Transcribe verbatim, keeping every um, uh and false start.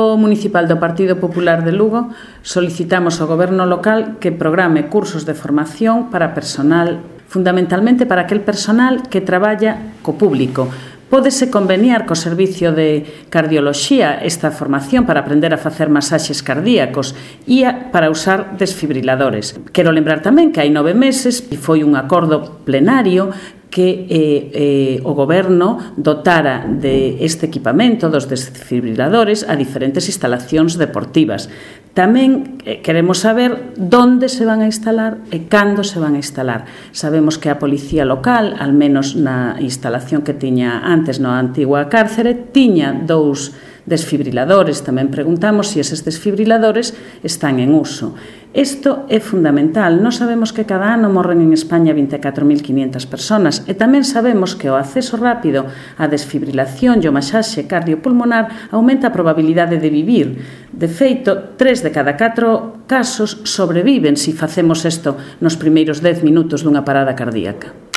Grupo Municipal do Partido Popular de Lugo solicitamos ao Goberno local que programe cursos de formación para personal, fundamentalmente para aquel personal que traballa co público. Pódese conveniar co Servicio de Cardioloxía esta formación para aprender a facer masaxes cardíacos e a, para usar desfibriladores. Quero lembrar tamén que hai nove meses e foi un acordo plenario que eh, eh, o Goberno dotara de este equipamento dos desfibriladores a diferentes instalacións deportivas. Tamén eh, queremos saber onde se van a instalar e cando se van a instalar. Sabemos que a Policía Local, al menos na instalación que tiña antes na antigua cárcere, tiña dous desfibriladores. Tamén preguntamos se eses desfibriladores están en uso. Isto é fundamental. Nós sabemos que cada ano morren en España vinte e catro mil quinhentas persoas e tamén sabemos que o acceso rápido á desfibrilación e o masaxe cardiopulmonar aumenta a probabilidade de vivir. De feito, tres de cada catro casos sobreviven se facemos isto nos primeiros dez minutos dunha parada cardíaca.